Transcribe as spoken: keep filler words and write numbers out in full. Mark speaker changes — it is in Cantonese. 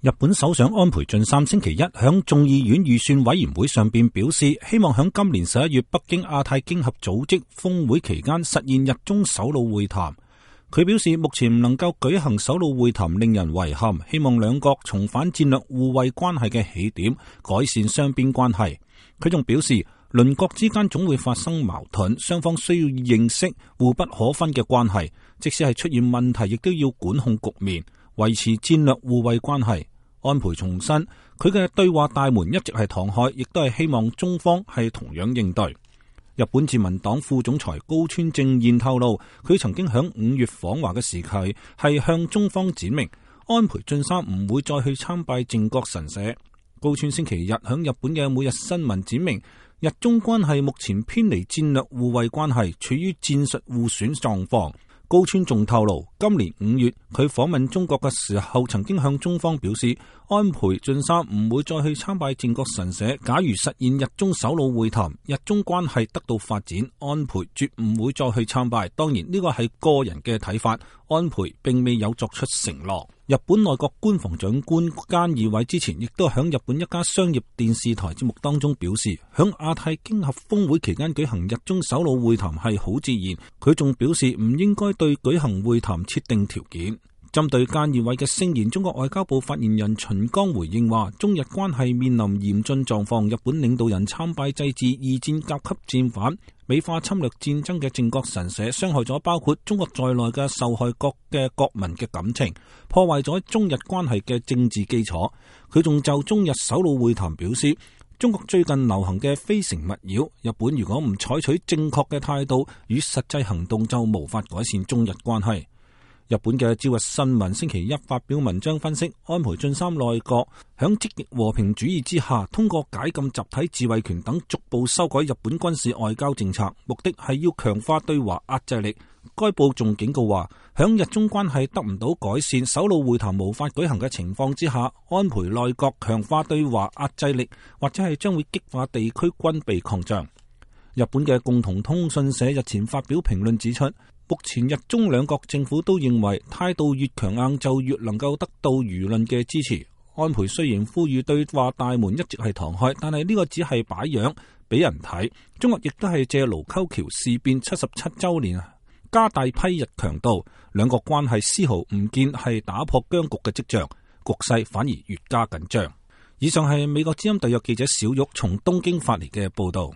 Speaker 1: 日本首相安倍晉三星期一響眾議院預算委員會上邊表示，希望響今年十一月北京亞太經合組織峰會期間實現日中首腦會談。佢表示，目前唔能夠舉行首腦會談令人遺憾，希望兩國重返戰略互惠關係嘅起點，改善雙邊關係。佢仲表示，鄰國之間總會發生矛盾，雙方需要認識互不可分嘅關係，即使係出現問題，亦都要管控局面，維持戰略互惠關係。安倍重申，佢嘅對話大門一直係敞開，亦都係希望中方係同樣應對。日本自民黨副總裁高村正彥透露，佢曾經響五月訪華嘅時期係向中方展明，安倍晉三唔會再去參拜靖國神社。高村星期日響日本嘅每日新聞展明，日中關係目前偏離戰略互惠關係，處於戰術互損狀況。高村仲透露，今年五月佢訪問中國嘅時候，曾經向中方表示，安倍晉三唔會再去參拜靖國神社。假如實現日中首腦會談，日中關係得到發展，安倍絕唔會再去參拜。當然呢個係個人嘅睇法，安倍並未有作出承諾。日本內閣官房長官菅義偉之前亦都響日本一家商業電視台節目當中表示，響亞太經合峰會期間舉行日中首腦會談係好自然。佢仲表示唔應該對舉行會談設定條件。針對菅義偉嘅聲言，中國外交部發言人秦剛回應話，中日關係面臨嚴峻狀況，日本領導人參拜祭祀二戰甲級戰犯、美化侵略戰爭嘅靖國神社，傷害咗包括中國在內嘅受害國嘅國民嘅感情，破壞咗中日關係嘅政治基礎。佢仲就中日首腦會談表示，中國最近流行嘅非誠勿擾，日本如果唔採取正確嘅態度與實際行動，就無法改善中日關係。日本嘅朝日新聞星期一發表文章分析，安倍晉三內閣響積極和平主義之下，通過解禁集體自衛權等逐步修改日本軍事外交政策，目的係要強化對華壓制力。該報仲警告話，響日中關係得唔到改善、首腦會談無法舉行嘅情況之下，安倍內閣強化對華壓制力，或者係將會激化地區軍備擴張。日本嘅共同通訊社日前發表評論指出，目前日中兩國政府都認為態度越強硬就越能夠得到輿論嘅支持。安倍雖然呼籲對話大門一直係敞開，但係呢個只係擺樣俾人睇。中國亦都係借盧溝橋事變七十七周年加大批日強度，兩國關係絲毫唔見係打破僵局嘅跡象，局勢反而越加緊張。以上係美國之音特約記者小玉從東京發嚟嘅報道。